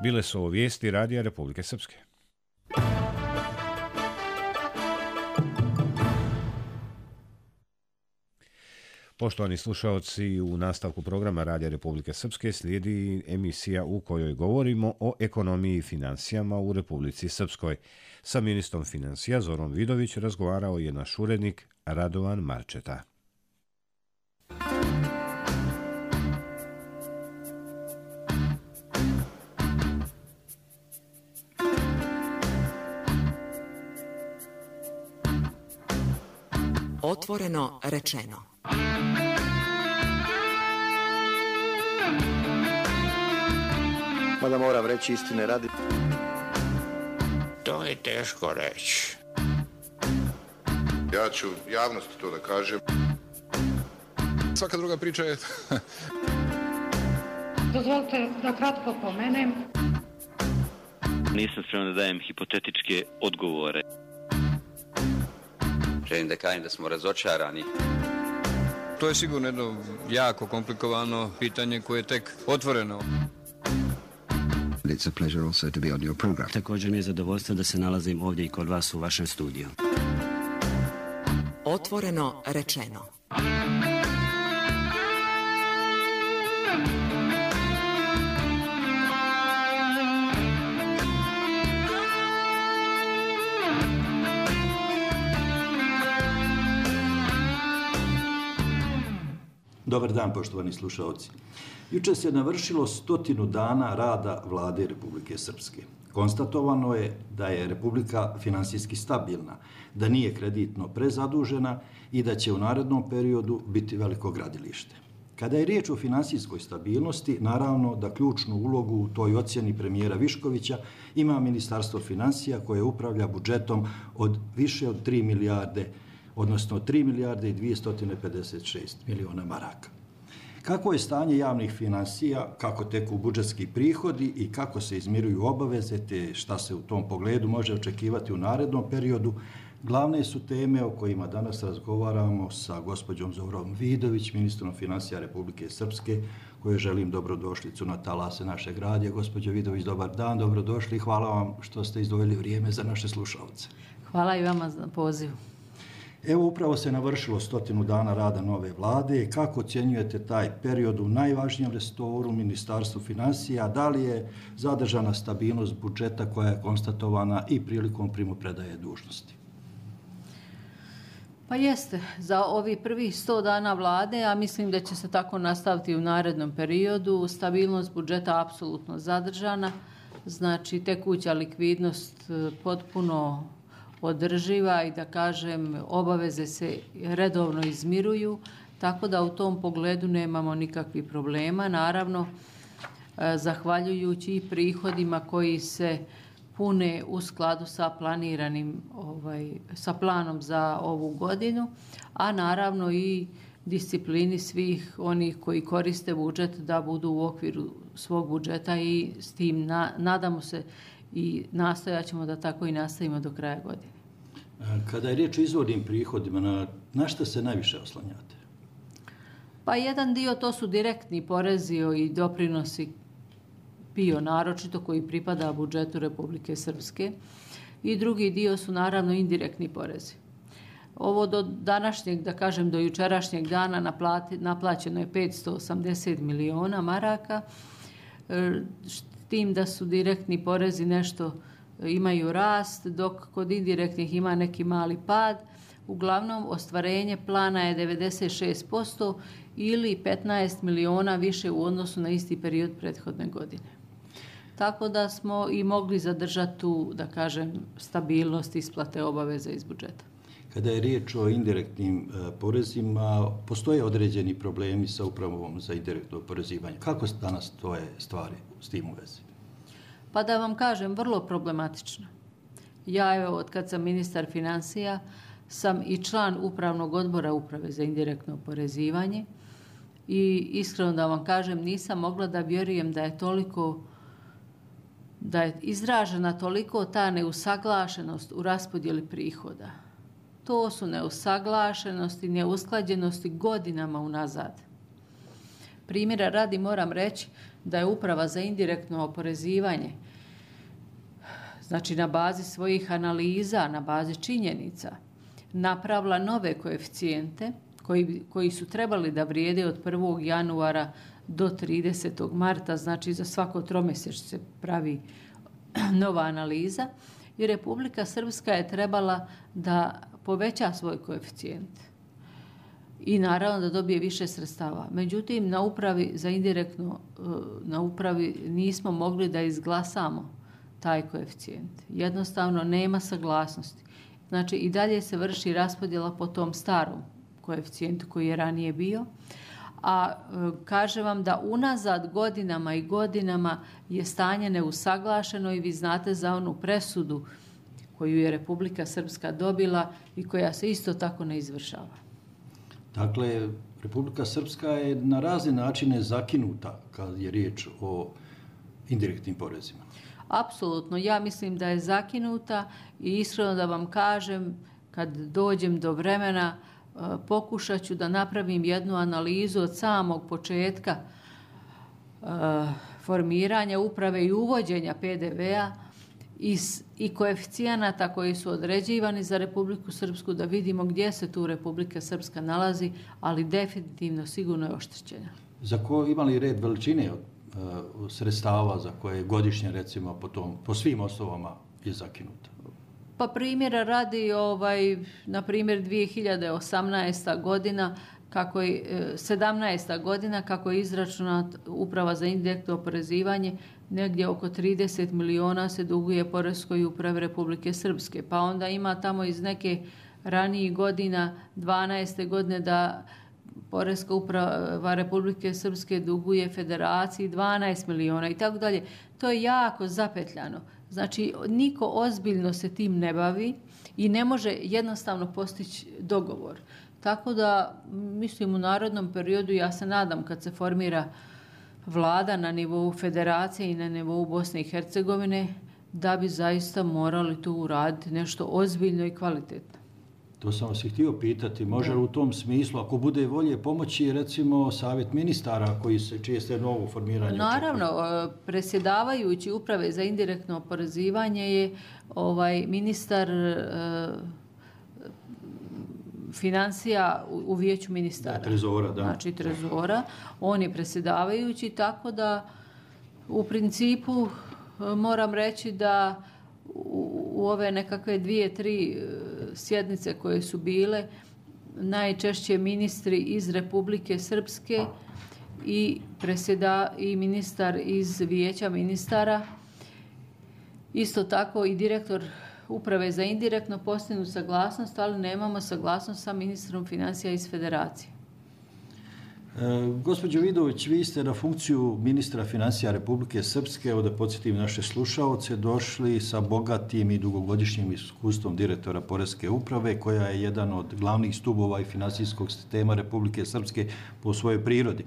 Bile su ovo vijesti Radija Republike Srpske. Poštovani slušaoci, u nastavku programa Radija Republike Srpske slijedi emisija u kojoj govorimo o ekonomiji i financijama u Republici Srpskoj. Sa ministrom financija Zorom Vidović razgovarao je naš urednik Radovan Marčeta. Otvoreno rečeno. Mada moram reći istine radi. To je teško reći. Ja ću javnosti to da kažem. Svaka druga priča je... Dozvolite da kratko pomenem. Nisam spreman da dajem hipotetičke odgovore. Želim da kažem da smo razočarani. To je sigurno jedno jako komplikovano pitanje koje je tek otvoreno. It's a pleasure also to be on your program. Također mi je zadovoljstvo da se nalazim ovdje i kod vas u vašem studiju. Otvoreno rečeno. Dobar dan, poštovani slušaoci. Jučer se navršilo 100 dana rada Vlade Republike Srpske. Konstatovano je da je Republika finansijski stabilna, da nije kreditno prezadužena i da će u narednom periodu biti veliko gradilište. Kada je riječ o finansijskoj stabilnosti, naravno da ključnu ulogu u toj ocjeni premijera Viškovića ima Ministarstvo financija koje upravlja budžetom od više od 3 milijarde, odnosno 3 milijarde i 256 miliona maraka. Kako je stanje javnih finansija, kako teku budžetski prihodi i kako se izmiruju obaveze, te šta se u tom pogledu može očekivati u narednom periodu, glavne su teme o kojima danas razgovaramo sa gospođom Zorom Vidović, ministrom financija Republike Srpske, kojoj želim dobrodošlicu na talase našeg radija. Gospođo Vidović, dobar dan, dobrodošli i hvala vam što ste izdvojili vrijeme za naše slušalce. Hvala i vama za poziv. Evo, upravo se navršilo 100 dana rada nove vlade. Kako ocjenjujete taj period u najvažnijem resoru, Ministarstvu financija? Da li je zadržana stabilnost budžeta koja je konstatovana i prilikom primopredaje dužnosti? Pa jeste, za ovih prvih 100 dana vlade, a mislim da će se tako nastaviti u narednom periodu, stabilnost budžeta apsolutno zadržana, znači tekuća likvidnost potpuno održiva i da kažem obaveze se redovno izmiruju, tako da u tom pogledu nemamo nikakvih problema. Naravno, zahvaljujući i prihodima koji se pune u skladu sa planiranim, sa planom za ovu godinu, a naravno i disciplini svih onih koji koriste budžet da budu u okviru svog budžeta i s tim nadamo se i nastojat ćemo da tako i nastavimo do kraja godine. Kada je riječ o izvornim prihodima, na šta se najviše oslanjate? Pa jedan dio to su direktni porezi i doprinosi PIO naročito koji pripada budžetu Republike Srpske i drugi dio su naravno indirektni porezi. Ovo do današnjeg, da kažem do jučerašnjeg dana naplaćeno je 580 miliona maraka, s tim da su direktni porezi nešto imaju rast, dok kod indirektnih ima neki mali pad. Uglavnom, ostvarenje plana je 96% ili 15 miliona više u odnosu na isti period prethodne godine. Tako da smo i mogli zadržati tu, da kažem, stabilnost isplate obaveza iz budžeta. Kada je riječ o indirektnim porezima, postoje određeni problemi sa upravom za indirektno oporezivanje. Kako danas stoje stvari s tim u vezi? Pa da vam kažem, vrlo problematično. Ja, evo, od kad sam ministar financija, sam i član upravnog odbora Uprave za indirektno oporezivanje i iskreno da vam kažem, nisam mogla da vjerujem da je izražena toliko ta neusaglašenost u raspodjeli prihoda. To su neusaglašenosti, neusklađenosti godinama unazad. Primjera radi moram reći da je Uprava za indirektno oporezivanje, znači na bazi svojih analiza, na bazi činjenica, napravila nove koeficijente koji su trebali da vrijede od 1. januara do 30. marta, znači za svako tromjesečno se pravi nova analiza i Republika Srpska je trebala da poveća svoj koeficijent i naravno da dobije više sredstava. Međutim, na Upravi za indirektno, na Upravi nismo mogli da izglasamo taj koeficijent. Jednostavno nema saglasnosti. Znači i dalje se vrši raspodjela po tom starom koeficijentu koji je ranije bio. A kažem vam da unazad godinama i godinama je stanje neusaglašeno i vi znate za onu presudu koju je Republika Srpska dobila i koja se isto tako ne izvršava. Dakle, Republika Srpska je na razne načine zakinuta kad je riječ o indirektnim porezima. Apsolutno, ja mislim da je zakinuta i iskreno da vam kažem, kad dođem do vremena, pokušat ću da napravim jednu analizu od samog početka formiranja uprave i uvođenja PDV-a i koeficijenata koji su određivani za Republiku Srpsku, da vidimo gdje se tu Republika Srpska nalazi, ali definitivno sigurno je oštećena. Za ko ima li red veličine sredstava za koje godišnje, recimo, po svim osnovama je zakinuta? Pa primjera radi, na primjer 2018. godina, 17. godina, kako je izračunat Uprava za indirektno oporezivanje, negdje oko 30 miliona se duguje Poreskoj upravi Republike Srpske. Pa onda ima tamo iz neke ranijih godina, 12. godine, da Poreska uprava Republike Srpske duguje Federaciji 12 miliona i tako dalje. To je jako zapetljano. Znači, niko ozbiljno se tim ne bavi i ne može jednostavno postići dogovor. Tako da, mislim, u narednom periodu, ja se nadam kad se formira vlada na nivou Federacije i na nivou Bosne i Hercegovine, da bi zaista morali tu uraditi nešto ozbiljno i kvalitetno. To sam vas i htio pitati. Može li u tom smislu, ako bude volje, pomoći, recimo, savjet ministara čije ste novo formiranje? Naravno, predsjedavajući Uprave za indirektno oporezivanje je ministar financija u vijeću ministara. Trezora, da. Znači trezora. On je predsjedavajući, tako da u principu moram reći da u ove nekakve 2-3 sjednice koje su bile, najčešće ministri iz Republike Srpske i ministar iz vijeća ministara, isto tako i direktor Uprave za indirektno postignu saglasnost, ali nemamo saglasnost sa ministrom financija iz Federacije. Gospođo Vidović, vi ste na funkciju ministra financija Republike Srpske, evo da podsjetim naše slušaoce, došli sa bogatim i dugogodišnjim iskustvom direktora Poreske uprave, koja je jedan od glavnih stubova i finansijskog sistema Republike Srpske po svojoj prirodi.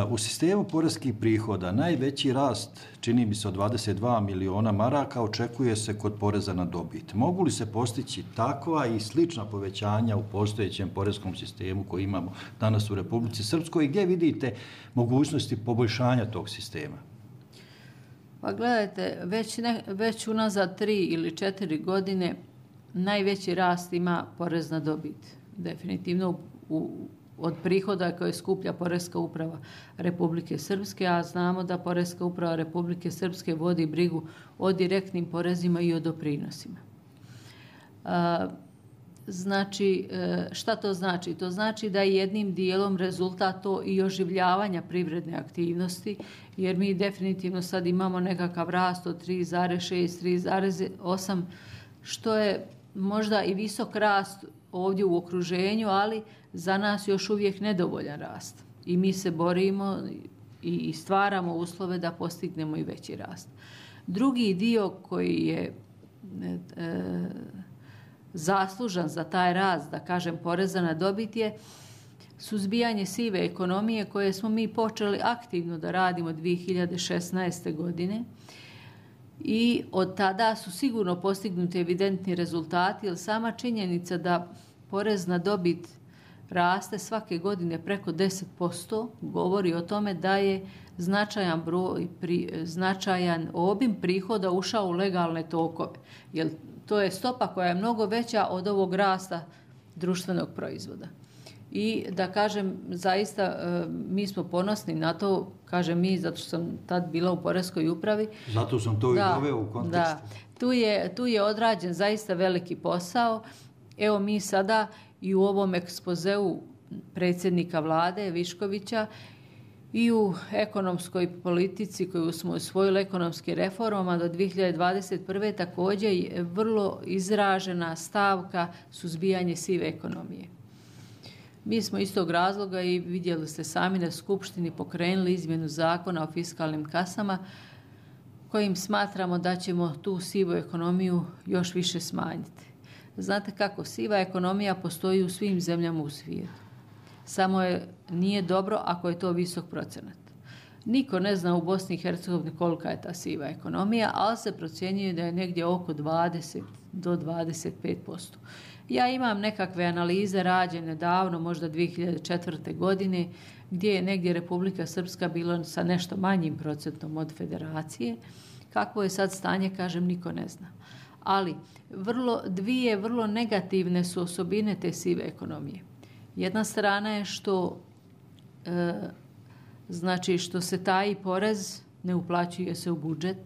U sistemu poreskih prihoda najveći rast, čini mi se, od 22 miliona maraka očekuje se kod poreza na dobit. Mogu li se postići takva i slična povećanja u postojećem poreskom sistemu koji imamo danas u Republici Srpskoj i gdje vidite mogućnosti poboljšanja tog sistema? Pa gledajte, već unazad 3 ili 4 godine najveći rast ima porez na dobit. Definitivno od prihoda koje skuplja Poreska uprava Republike Srpske, a znamo da Poreska uprava Republike Srpske vodi brigu o direktnim porezima i o doprinosima. Znači, šta to znači? To znači da je jednim dijelom rezultat to i oživljavanja privredne aktivnosti, jer mi definitivno sad imamo nekakav rast od 3,6, 3,8, što je možda i visok rast ovdje u okruženju, ali za nas još uvijek nedovoljan rast. I mi se borimo i stvaramo uslove da postignemo i veći rast. Drugi dio koji je zaslužan za taj rast, da kažem, poreza na dobit je suzbijanje sive ekonomije koje smo mi počeli aktivno da radimo 2016. godine. I od tada su sigurno postignuti evidentni rezultati, jer sama činjenica da porez na dobit raste svake godine preko 10%, govori o tome da je značajan obim prihoda ušao u legalne tokove. Jer to je stopa koja je mnogo veća od ovog rasta društvenog proizvoda. I da kažem, zaista mi smo ponosni na to, kažem mi, zato što sam tad bila u Poreskoj upravi. Zato sam to i doveo u kontekst. Da, tu je odrađen zaista veliki posao. Evo mi sada i u ovom ekspozeu predsjednika vlade Viškovića i u ekonomskoj politici koju smo usvojili ekonomskim reformama do 2021. također je vrlo izražena stavka suzbijanje sive ekonomije. Mi smo iz tog razloga i vidjeli ste sami na Skupštini pokrenuli izmjenu zakona o fiskalnim kasama kojim smatramo da ćemo tu sivu ekonomiju još više smanjiti. Znate kako, siva ekonomija postoji u svim zemljama u svijetu. Samo nije dobro ako je to visok procenat. Niko ne zna u Bosni i Hercegovini kolika je ta siva ekonomija, ali se procjenjuje da je negdje oko 20 do 25%. Ja imam nekakve analize rađene davno, možda 2004. godine, gdje je negdje Republika Srpska bila sa nešto manjim procentom od federacije. Kakvo je sad stanje, kažem, niko ne zna. Ali dvije vrlo negativne su osobine te sive ekonomije. Jedna strana je što se taj porez ne uplaćuje se u budžet,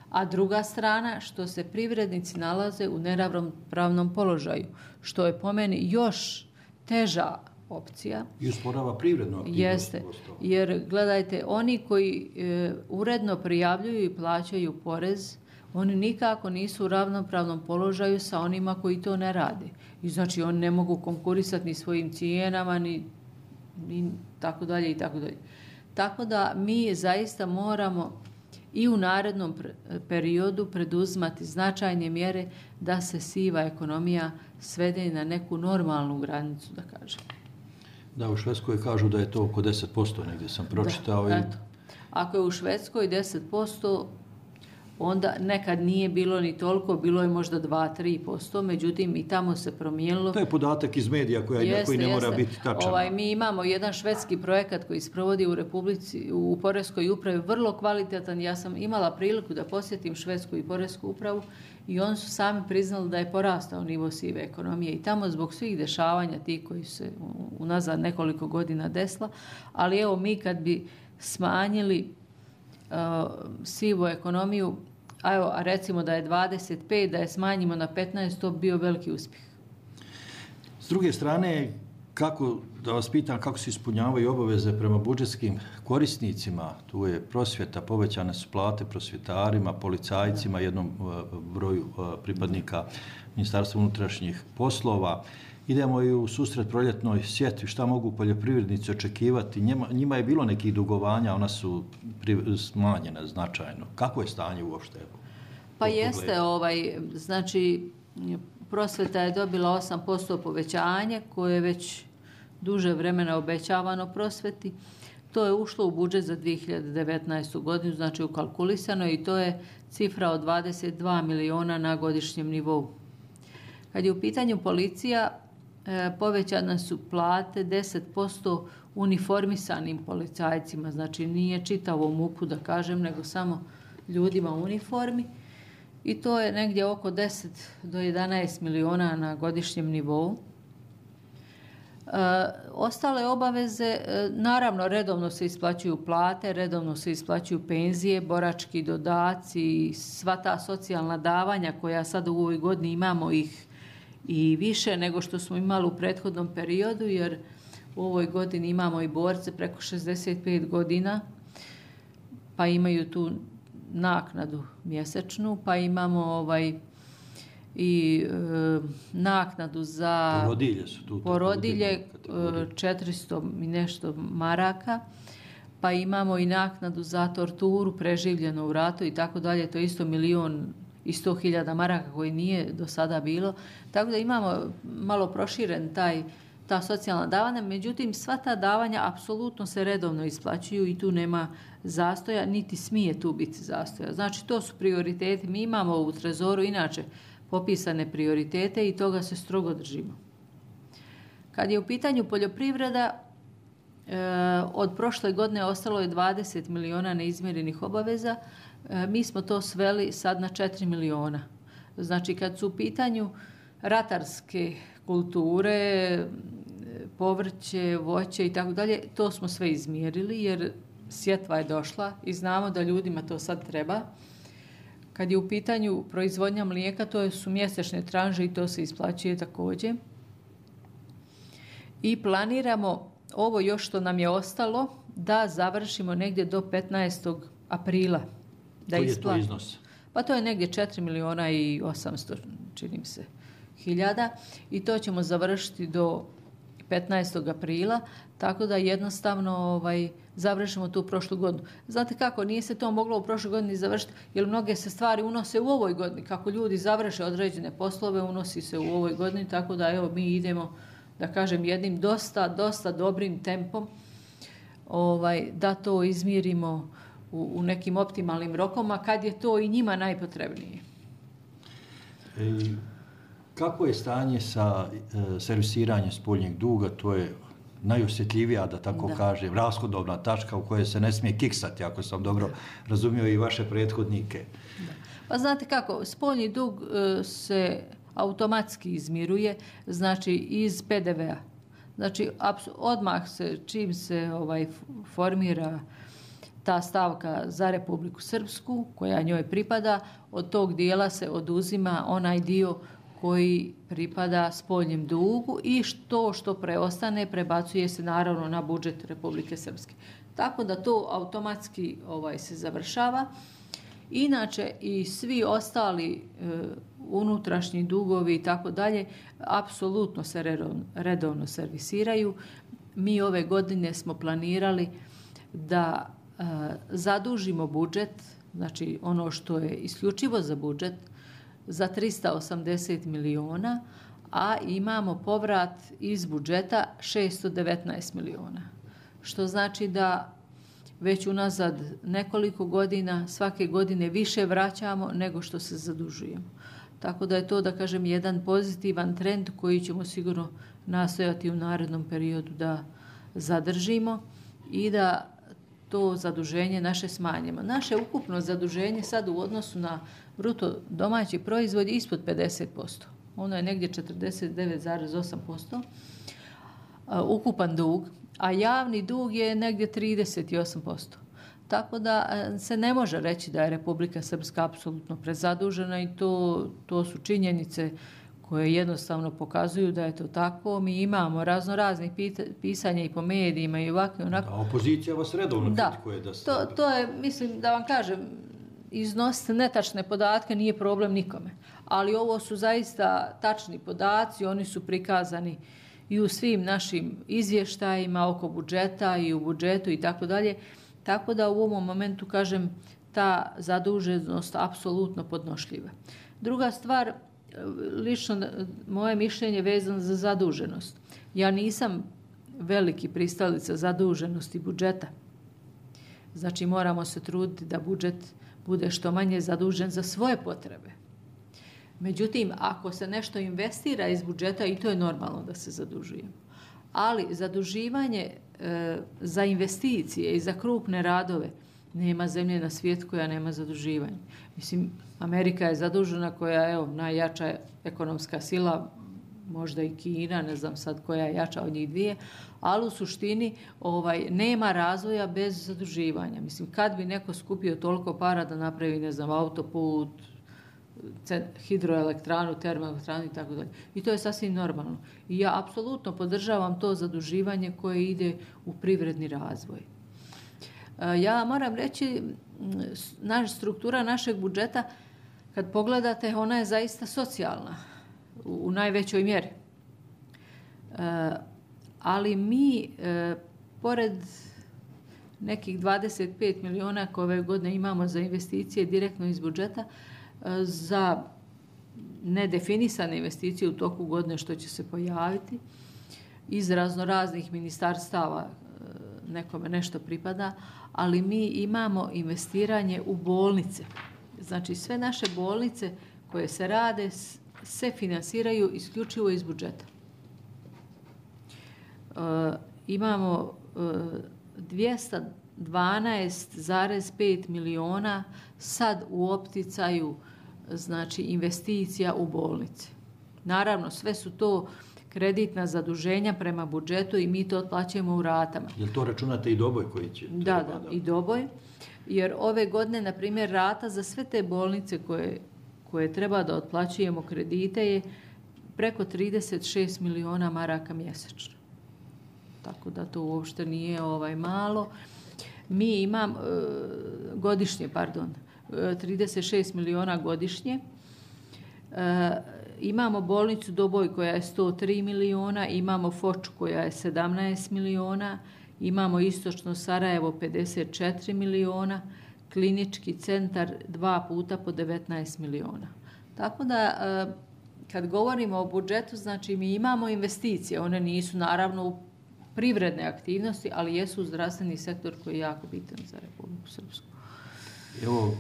a druga strana što se privrednici nalaze u neravnopravnom položaju, što je po meni još teža opcija. I usporava privrednu aktivnost. Jeste, jer gledajte, oni koji uredno prijavljuju i plaćaju porez, oni nikako nisu u ravnopravnom položaju sa onima koji to ne rade. I znači oni ne mogu konkurisati ni svojim cijenama, ni tako dalje i tako dalje. Tako da mi zaista moramo i u narednom periodu preduzimati značajne mjere da se siva ekonomija svede na neku normalnu granicu, da kažem. Da, u Švedskoj kažu da je to oko 10%, negdje sam pročitao. Da, eto. Ako je u Švedskoj 10%, onda nekad nije bilo ni toliko, bilo je možda 2-3%, međutim i tamo se promijenilo. To je podatak iz medija koji ne mora biti tačan. Mi imamo jedan švedski projekat koji sprovodi u Poreskoj upravi, vrlo kvalitetan. Ja sam imala priliku da posjetim Švedsku i Poresku upravu i oni su sami priznali da je porastao nivo sive ekonomije i tamo zbog svih dešavanja tih koji su se unazad nekoliko godina desila. Ali evo mi kad bi smanjili sivu ekonomiju, a recimo da je 25, da je smanjimo na 15, to bi bio veliki uspjeh. S druge strane, da vas pitam kako se ispunjavaju obaveze prema budžetskim korisnicima, tu je prosvjeta, povećane su plate prosvjetarima, policajcima, jednom broju pripadnika Ministarstva unutrašnjih poslova. Idemo i u susret proljetnoj sjetvi. Šta mogu poljoprivrednici očekivati? Njima je bilo nekih dugovanja, ona su smanjena značajno. Kako je stanje uopšte? Pa jeste, znači prosvjeta je dobila 8% povećanje koje je već duže vremena obećavano prosvjeti. To je ušlo u budžet za 2019. godinu, znači ukalkulisano i to je cifra od 22 miliona na godišnjem nivou. Kad je u pitanju policija, povećane su plate 10% uniformisanim policajcima, znači nije čitavo MUP-u da kažem, nego samo ljudima u uniformi i to je negdje oko 10 do 11 miliona na godišnjem nivou. Ostale obaveze, naravno redovno se isplaćuju plate, redovno se isplaćuju penzije, borački dodaci, sva ta socijalna davanja koja sad u ovoj godini imamo ih i više nego što smo imali u prethodnom periodu, jer u ovoj godini imamo i borce preko 65 godina, pa imaju tu naknadu mjesečnu, pa imamo i naknadu za porodilje 400 i nešto maraka, pa imamo i naknadu za torturu preživljenu u ratu i tako dalje, to je isto 1.100.000 maraka koji nije do sada bilo. Tako da imamo malo proširen ta socijalna davanja, međutim sva ta davanja apsolutno se redovno isplaćuju i tu nema zastoja, niti smije tu biti zastoja. Znači to su prioriteti. Mi imamo u Trezoru inače popisane prioritete i toga se strogo držimo. Kad je u pitanju poljoprivreda, od prošle godine ostalo je 20 miliona neizmirenih obaveza. Mi smo to sveli sad na 4 miliona. Znači, kad su u pitanju ratarske kulture, povrće, voće i tako dalje, to smo sve izmjerili jer sjetva je došla i znamo da ljudima to sad treba. Kad je u pitanju proizvodnja mlijeka, to su mjesečne tranže i to se isplaćuje također. I planiramo ovo još što nam je ostalo da završimo negdje do 15. aprila. Koji je to iznos? Pa to je negdje 4 miliona i 800, čini mi se, hiljada. I to ćemo završiti do 15. aprila, tako da jednostavno završimo tu prošlu godinu. Znate kako, nije se to moglo u prošloj godini završiti, jer mnoge se stvari unose u ovoj godini. Kako ljudi završe određene poslove, unosi se u ovoj godini, tako da evo mi idemo, da kažem, jednim dosta dobrim tempom da to izmjerimo u nekim optimalnim rokovima, kad je to i njima najpotrebnije. Kako je stanje sa servisiranjem spoljnjeg duga? To je najosjetljivija, da tako kažem, rashodovna tačka u kojoj se ne smije kiksati, ako sam dobro razumio i vaše prethodnike. Da. Pa znate kako, spoljni dug se automatski izmiruje, znači iz PDV-a. Znači, odmah se, čim se formira ta stavka za Republiku Srpsku, koja njoj pripada, od tog dijela se oduzima onaj dio koji pripada spoljnjem dugu i što preostane prebacuje se naravno na budžet Republike Srpske. Tako da to automatski se završava. Inače i svi ostali unutrašnji dugovi i tako dalje apsolutno se redovno servisiraju. Mi ove godine smo planirali da zadužimo budžet, znači ono što je isključivo za budžet, za 380 miliona, a imamo povrat iz budžeta 619 miliona. Što znači da već unazad nekoliko godina, svake godine više vraćamo nego što se zadužujemo. Tako da je to, da kažem, jedan pozitivan trend koji ćemo sigurno nastojati u narednom periodu da zadržimo i da to zaduženje naše smanjimo. Naše ukupno zaduženje sad u odnosu na bruto domaći proizvod je ispod 50%. Ono je negdje 49,8%. Ukupan dug, a javni dug je negdje 38%. Tako da se ne može reći da je Republika Srpska apsolutno prezadužena i to su činjenice koje jednostavno pokazuju da je to tako. Mi imamo raznih pisanja i po medijima i ovako i onako. Da, opozicija vas redovno kritikuje da ste... To je, mislim, da vam kažem, iznositi netačne podatke nije problem nikome. Ali ovo su zaista tačni podaci, oni su prikazani i u svim našim izvještajima oko budžeta i u budžetu i tako dalje. Tako da u ovom momentu, kažem, ta zaduženost apsolutno podnošljiva. Druga stvar, lično moje mišljenje vezano za zaduženost. Ja nisam veliki pristalica zaduženosti budžeta. Znači moramo se truditi da budžet bude što manje zadužen za svoje potrebe. Međutim, ako se nešto investira iz budžeta, i to je normalno da se zadužujemo. Ali zaduživanje za investicije i za krupne radove nema zemlje na svijetu koja nema zaduživanje. Mislim, Amerika je zadužena koja je najjača ekonomska sila, možda i Kina, ne znam sad koja je jača od njih dvije, ali u suštini nema razvoja bez zaduživanja. Mislim, kad bi neko skupio toliko para da napravi, ne znam, autoput, hidroelektranu, termoelektranu i tako dalje. I to je sasvim normalno. I ja apsolutno podržavam to zaduživanje koje ide u privredni razvoj. Ja moram reći, struktura našeg budžeta, kad pogledate, ona je zaista socijalna u najvećoj mjeri. Ali mi, pored nekih 25 miliona koje ove godine imamo za investicije direktno iz budžeta, za nedefinisane investicije u toku godine što će se pojaviti, iz raznoraznih ministarstava nekome nešto pripada, ali mi imamo investiranje u bolnice. Znači sve naše bolnice koje se rade se finansiraju isključivo iz budžeta. imamo 212,5 miliona sad u opticaju, znači investicija u bolnice. Naravno, sve su to kreditna zaduženja prema budžetu i mi to otplaćujemo u ratama. Jel to računate i doboj koji će? Da, i doboj. Jer ove godine, na primjer, rata za sve te bolnice koje treba da otplaćujemo kredite je preko 36 miliona maraka mjesečno. Tako da to uopšte nije malo. Mi imam godišnje, 36 miliona godišnje. Imamo bolnicu Doboj koja je 103 miliona, imamo Foču koja je 17 miliona, imamo Istočno Sarajevo 54 miliona, klinički centar 2 puta po 19 miliona. Tako da, kad govorimo o budžetu, znači mi imamo investicije, one nisu naravno u privredne aktivnosti, ali jesu u zdravstveni sektor koji je jako bitan za Republiku Srpsku. Evo,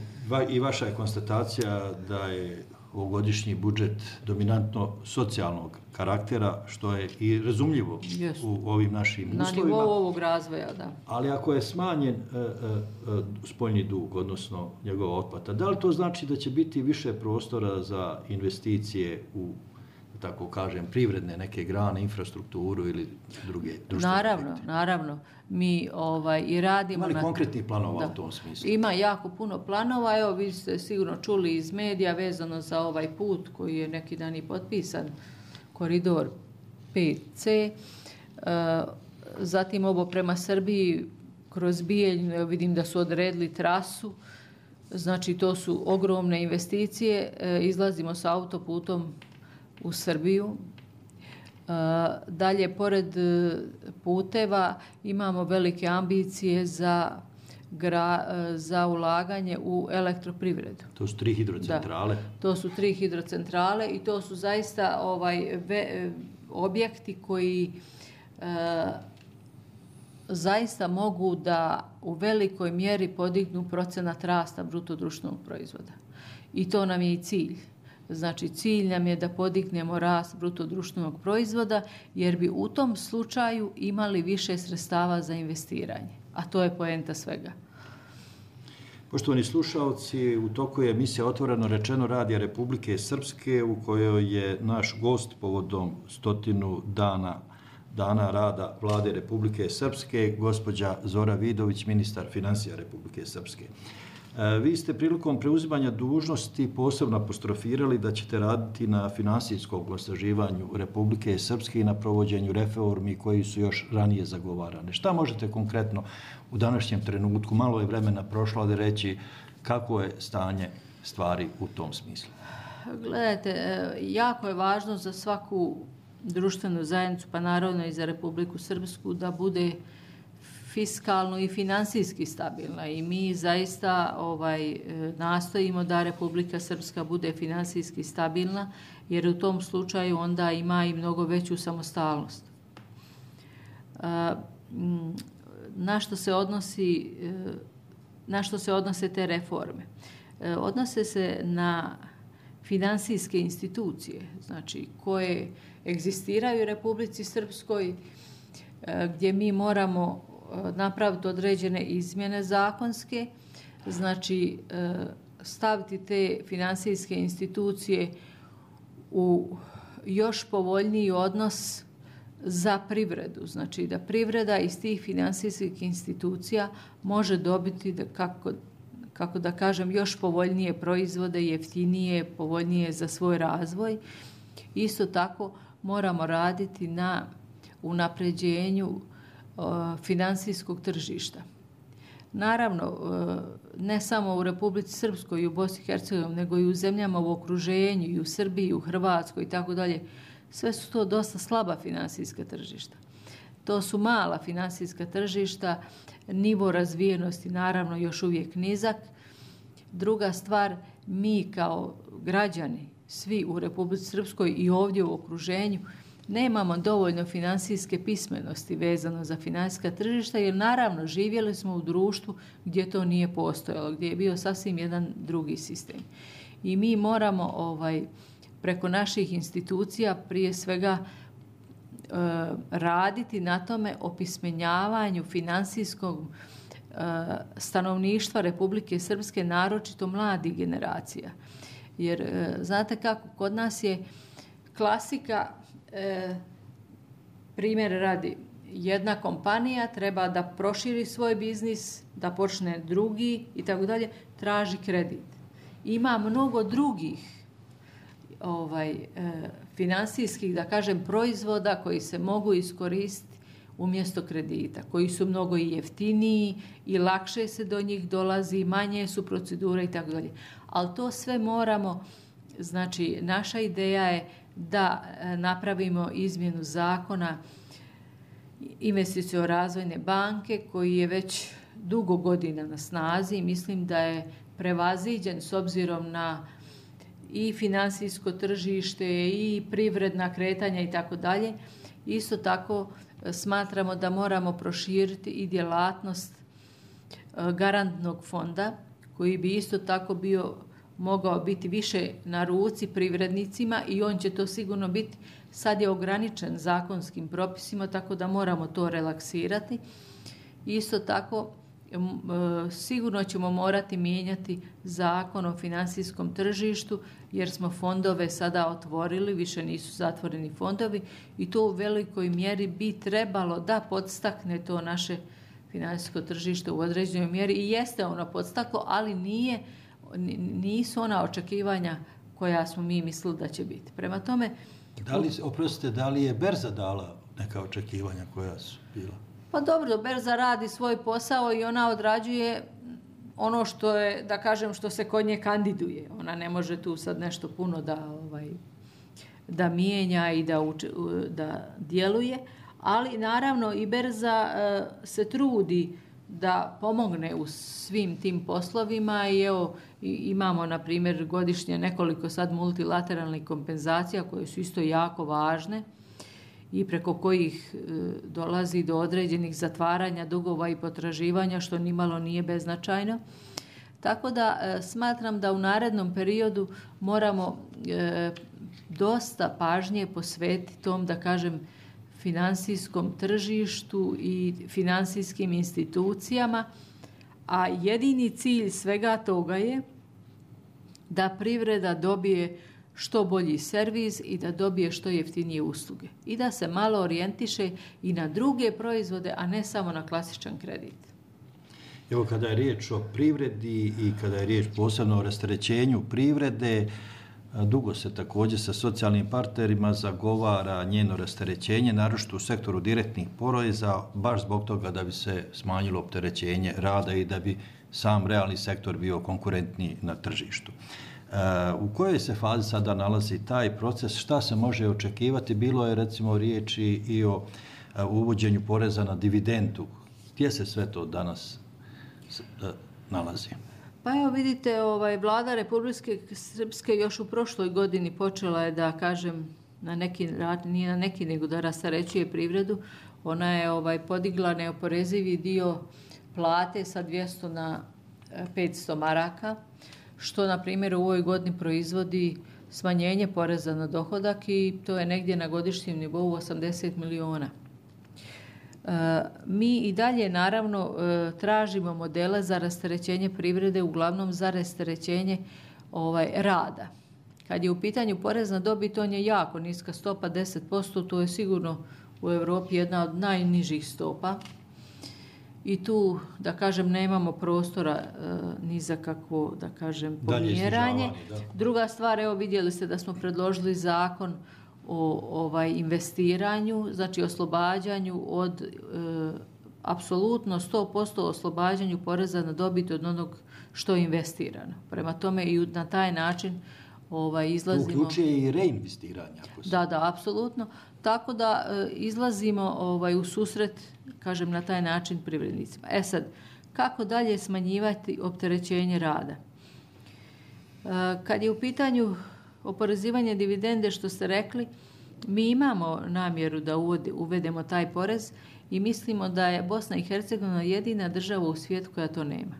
i vaša je konstatacija da je ovogodišnji budžet dominantno socijalnog karaktera, što je i razumljivo u ovim našim uslovima. Na nivou ovog razvoja, da. Ali ako je smanjen spoljni dug, odnosno njegova otplata, da li to znači da će biti više prostora za investicije u, tako kažem, privredne neke grane, infrastrukturu ili druge društvene projekte? Naravno. Mi i radimo... Ima li konkretnih planova u tom smislu? Ima jako puno planova. Evo, vi ste sigurno čuli iz medija vezano za ovaj put koji je neki dan i potpisan, koridor 5C. Zatim ovo prema Srbiji, kroz Bijeljinu, evo vidim da su odredili trasu. Znači, to su ogromne investicije. Izlazimo sa autoputom u Srbiju. Dalje, pored puteva, imamo velike ambicije za ulaganje u elektroprivredu. To su 3 hidrocentrale? Da, to su 3 hidrocentrale i to su zaista objekti koji zaista mogu da u velikoj mjeri podignu procenat rasta bruto društvenog proizvoda. I to nam je i cilj. Znači, cilj nam je da podignemo rast bruto društvenog proizvoda, jer bi u tom slučaju imali više sredstava za investiranje. A to je poenta svega. Poštovani slušalci, u toku je emisija Otvoreno rečeno Radija Republike Srpske, u kojoj je naš gost povodom 100 dana rada Vlade Republike Srpske, gospođa Zora Vidović, ministar finansija Republike Srpske. Vi ste prilikom preuzimanja dužnosti posebno apostrofirali da ćete raditi na finansijskom osnaživanju Republike Srpske i na provođenju reformi koji su još ranije zagovarane. Šta možete konkretno u današnjem trenutku, malo je vremena prošlo, da reći kako je stanje stvari u tom smislu? Gledajte, jako je važno za svaku društvenu zajednicu, pa naravno i za Republiku Srpsku, da bude fiskalno i finansijski stabilna i mi zaista nastojimo da Republika Srpska bude finansijski stabilna, jer u tom slučaju onda ima i mnogo veću samostalnost. Na što se odnose te reforme? Odnose se na finansijske institucije, znači koje egzistiraju u Republici Srpskoj, gdje mi moramo napraviti određene izmjene zakonske, znači staviti te finansijske institucije u još povoljniji odnos za privredu. Znači da privreda iz tih finansijskih institucija može dobiti, kako da kažem, još povoljnije proizvode, jeftinije, povoljnije za svoj razvoj. Isto tako moramo raditi na unapređenju finansijskog tržišta. Naravno, ne samo u Republici Srpskoj i u Bosni i Hercegovini, nego i u zemljama u okruženju, i u Srbiji, u Hrvatskoj i tako dalje. Sve su to dosta slaba finansijska tržišta. To su mala finansijska tržišta, nivo razvijenosti naravno još uvijek nizak. Druga stvar, mi kao građani, svi u Republici Srpskoj i ovdje u okruženju, nemamo dovoljno finansijske pismenosti vezano za finansijska tržišta, jer naravno živjeli smo u društvu gdje to nije postojalo, gdje je bio sasvim jedan drugi sistem. I mi moramo preko naših institucija prije svega raditi na tome opismenjavanju finansijskog stanovništva Republike Srpske, naročito mladih generacija. Jer znate kako, kod nas je klasika, primjer radi, jedna kompanija treba da proširi svoj biznis, da počne drugi i tako dalje, traži kredit. Ima mnogo drugih finansijskih, da kažem, proizvoda koji se mogu iskoristiti umjesto kredita, koji su mnogo i jeftiniji i lakše se do njih dolazi, manje su procedure i tako dalje. Ali to sve moramo, znači naša ideja je da napravimo izmjenu zakona Investiciono-razvojne banke koji je već dugo godina na snazi i mislim da je prevaziđen s obzirom na i finansijsko tržište i privredna kretanja i tako dalje. Isto tako smatramo da moramo proširiti i djelatnost garantnog fonda koji bi isto tako mogao biti više na ruci privrednicima i on će to sigurno biti. Sad je ograničen zakonskim propisima, tako da moramo to relaksirati. Isto tako sigurno ćemo morati mijenjati zakon o financijskom tržištu jer smo fondove sada otvorili, više nisu zatvoreni fondovi i to u velikoj mjeri bi trebalo da podstakne to naše financijsko tržište u određenoj mjeri i jeste ono podstaklo, ali nisu ona očekivanja koja smo mi mislili da će biti. Prema tome... Da li je berza dala neka očekivanja koja su bila? Pa dobro, berza radi svoj posao i ona odrađuje ono što je, da kažem, što se kod nje kandiduje. Ona ne može tu sad nešto puno da mijenja i da djeluje, ali naravno i berza se trudi da pomogne u svim tim poslovima i evo imamo na primjer godišnje nekoliko sad multilateralnih kompenzacija koje su isto jako važne i preko kojih dolazi do određenih zatvaranja dugova i potraživanja što nimalo nije beznačajno. Tako da smatram da u narednom periodu moramo dosta pažnje posvetiti tom, da kažem, financijskom tržištu i financijskim institucijama, a jedini cilj svega toga je da privreda dobije što bolji servis i da dobije što jeftinije usluge i da se malo orijentiše i na druge proizvode, a ne samo na klasičan kredit. Evo, kada je riječ o privredi i kada je riječ posebno o rasterećenju privrede, dugo se također sa socijalnim partnerima zagovara njeno rasterećenje, naročito u sektoru direktnih poreza, baš zbog toga da bi se smanjilo opterećenje rada i da bi sam realni sektor bio konkurentniji na tržištu. U kojoj se fazi sada nalazi taj proces? Šta se može očekivati? Bilo je recimo riječi i o uvođenju poreza na dividendu. Gdje se sve to danas nalazi? Pa evo vidite, vlada Republike Srpske još u prošloj godini počela je da kažem nije na neki nego da rasterećuje privredu. Ona je podigla neoporezivi dio plate sa 200 na 500 maraka, što na primjer u ovoj godini proizvodi smanjenje poreza na dohodak i to je negdje na godišnjem nivou 80 miliona. Mi i dalje naravno tražimo modele za rasterećenje privrede, uglavnom za rasterećenje rada. Kad je u pitanju porez na dobit, on je jako niska stopa, 10%, to je sigurno u Europi jedna od najnižih stopa. I tu, da kažem, nemamo prostora ni za kakvo, da kažem, pomjeranje. Druga stvar, evo vidjeli ste da smo predložili zakon o investiranju, znači oslobađanju od apsolutno 100% oslobađanju poreza na dobit od onog što je investirano. Prema tome i na taj način izlazimo... To uključuje i reinvestiranje. Da, apsolutno. Tako da izlazimo u susret, kažem, na taj način privrednicima. Sad, kako dalje smanjivati opterećenje rada? Kad je u pitanju oporezivanje dividende, što ste rekli, mi imamo namjeru da uvedemo taj porez i mislimo da je Bosna i Hercegovina jedina država u svijetu koja to nema.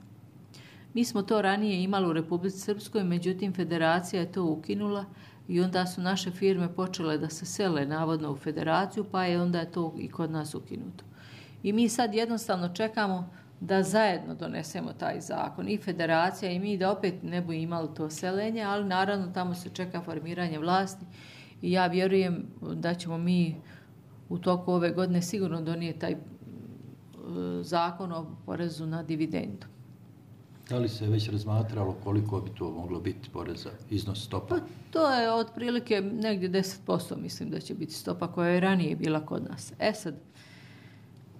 Mi smo to ranije imali u Republici Srpskoj, međutim federacija je to ukinula i onda su naše firme počele da se sele navodno u federaciju, pa je onda to i kod nas ukinuto. I mi sad jednostavno čekamo da zajedno donesemo taj zakon, i federacija i mi, da opet ne bi imali to selenje, ali naravno tamo se čeka formiranje vlasti i ja vjerujem da ćemo mi u toku ove godine sigurno donijeti taj zakon o porezu na dividendu. Da li se već razmatralo koliko bi to moglo biti poreza, iznos stopa? Pa, to je otprilike negdje 10%, mislim da će biti stopa koja je ranije bila kod nas. Sad,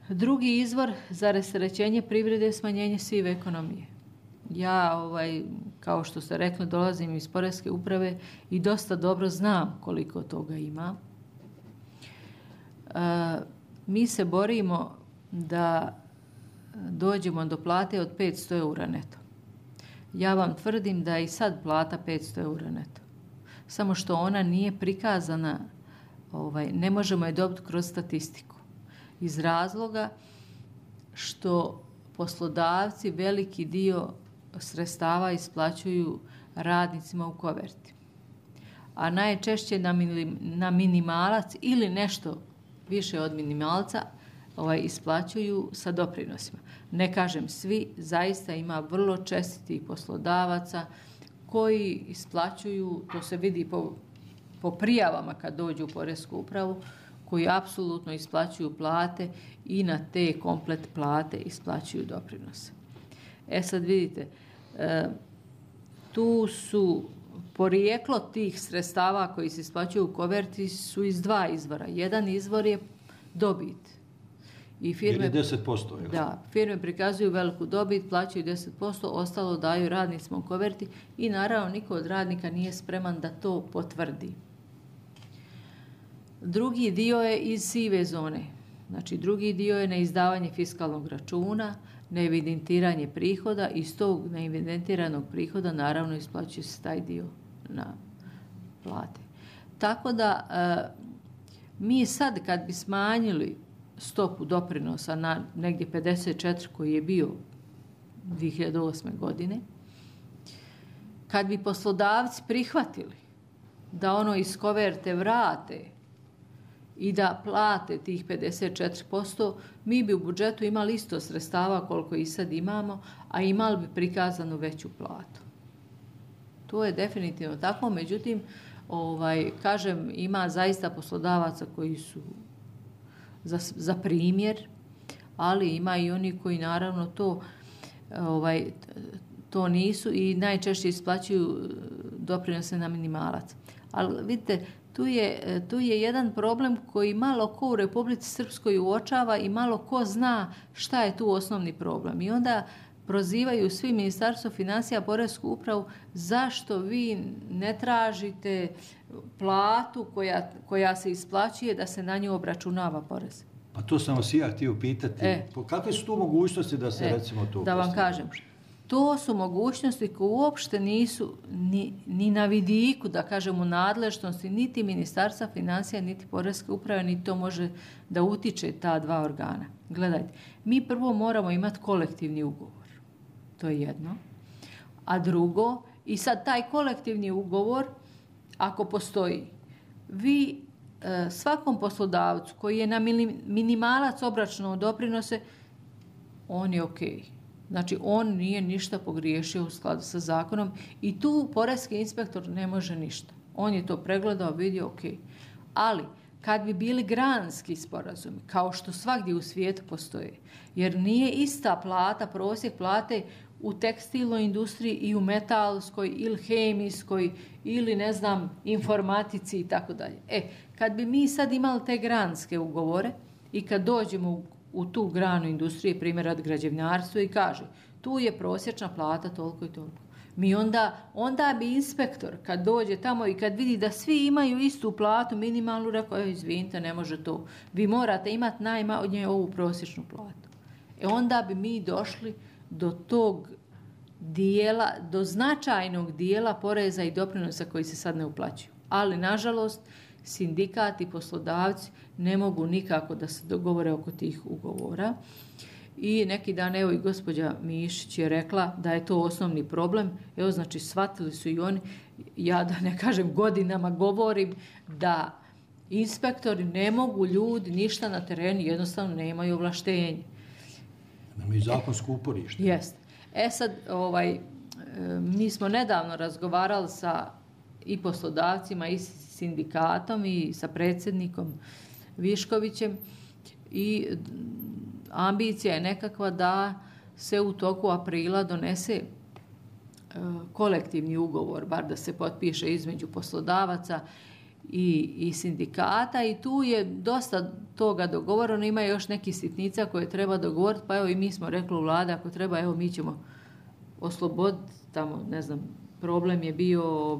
drugi izvor za rasterećenje privrede je smanjenje sive ekonomije. Ja, kao što ste rekli, dolazim iz Poreske uprave i dosta dobro znam koliko toga ima. Mi se borimo da dođemo do plate od 500 eura neto. Ja vam tvrdim da je i sad plata 500 eura neto. Samo što ona nije prikazana, ne možemo je dobiti kroz statistiku. Iz razloga što poslodavci veliki dio sredstava isplaćuju radnicima u koverti. A najčešće na minimalac ili nešto više od minimalca isplaćuju sa doprinosima. Ne kažem svi, zaista ima vrlo čestitih poslodavaca koji isplaćuju, to se vidi po prijavama kad dođu u Poresku upravu, koji apsolutno isplaćuju plate i na te komplet plate isplaćuju doprinose. Sad vidite, tu su porijeklo tih sredstava koji se isplaćuju u koverti su iz dva izvora. Jedan izvor je dobit. I firme, 10%. Da, firme prikazuju veliku dobit, plaćaju 10%, ostalo daju radnicima u koverti i naravno niko od radnika nije spreman da to potvrdi. Drugi dio je iz sive zone. Znači, drugi dio je neizdavanje fiskalnog računa, neevidentiranje prihoda i iz tog neevidentiranog prihoda naravno isplaćuje se taj dio na plate. Tako da mi sad kad bi smanjili stopu doprinosa na negdje 54 koji je bio 2008. godine, kad bi poslodavci prihvatili da ono iz koverte vrate i da plate tih 54%, mi bi u budžetu imali isto sredstava koliko i sad imamo, a imali bi prikazanu veću platu. To je definitivno tako, međutim, kažem, ima zaista poslodavaca koji su za primjer, ali ima i oni koji naravno to nisu i najčešće isplaćuju doprinose na minimalac. Ali vidite, tu je jedan problem koji malo ko u Republici Srpskoj uočava i malo ko zna šta je tu osnovni problem. I onda prozivaju svi Ministarstvo financija, Poresku upravu, zašto vi ne tražite platu koja se isplaćuje da se na nju obračunava porez. Pa to sam vas ja htio pitati. Kakve su tu mogućnosti da se recimo to... Da vam kažem, to su mogućnosti koje uopšte nisu ni na vidiku, da kažem, u nadležnosti niti Ministarstva financija, niti Poreske uprave, niti to može da utiče ta dva organa. Gledajte, mi prvo moramo imati kolektivni ugovor. To je jedno. A drugo, i sad taj kolektivni ugovor, ako postoji, vi svakom poslodavcu koji je na minimalac obračunao doprinose, on je okej. Znači, on nije ništa pogriješio u skladu sa zakonom i tu poreski inspektor ne može ništa. On je to pregledao, vidio, okej. Ali, kad bi bili granski sporazumi, kao što svagdje u svijetu postoje, jer nije ista plata, prosjek plate u tekstilnoj industriji i u metalskoj ili hemijskoj ili, ne znam, informatici i tako dalje. Kad bi mi sad imali te granske ugovore i kad dođemo u tu granu industrije, primjer od građevinarstva, i kaže, tu je prosječna plata toliko i toliko. Mi onda bi inspektor kad dođe tamo i kad vidi da svi imaju istu platu, minimalnu, rekao, izvinite, ne može to. Vi morate imati najmanje ovu prosječnu platu. Onda bi mi došli do tog dijela, do značajnog dijela poreza i doprinosa koji se sad ne uplaćuju. Ali, nažalost, sindikati i poslodavci ne mogu nikako da se dogovore oko tih ugovora. I neki dan, evo i gospođa Mišić je rekla da je to osnovni problem. Evo, znači, shvatili su i oni, ja da ne kažem godinama govorim, da inspektori ne mogu, ljudi ništa na terenu, jednostavno nemaju ovlaštenje. Nemaju zakonsko uporište. Jeste. Sad, mi smo nedavno razgovarali sa i poslodavcima i sindikatom i sa predsjednikom Viškovićem i ambicija je nekakva da se u toku aprila donese kolektivni ugovor, bar da se potpiše između poslodavaca i sindikata i tu je dosta toga dogovoreno, ima još neki sitnica koje treba dogovoriti, pa evo i mi smo rekli u vladi, ako treba, evo mi ćemo osloboditi tamo, ne znam, problem je bio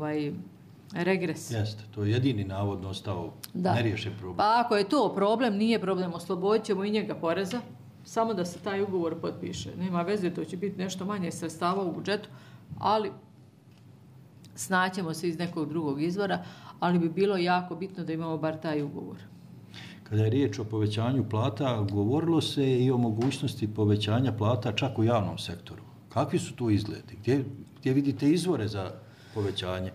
regres. Jeste, to je jedini navodno ostao neriješen problem. Pa ako je to problem, nije problem, oslobodit ćemo i njega poreza, samo da se taj ugovor potpiše. Nema veze, to će biti nešto manje sredstava u budžetu, ali snaćemo se iz nekog drugog izvora, ali bi bilo jako bitno da imamo bar taj ugovor. Kada je riječ o povećanju plata, govorilo se i o mogućnosti povećanja plata čak u javnom sektoru. Kakvi su tu izgledi? Gdje vidite izvore za povećanje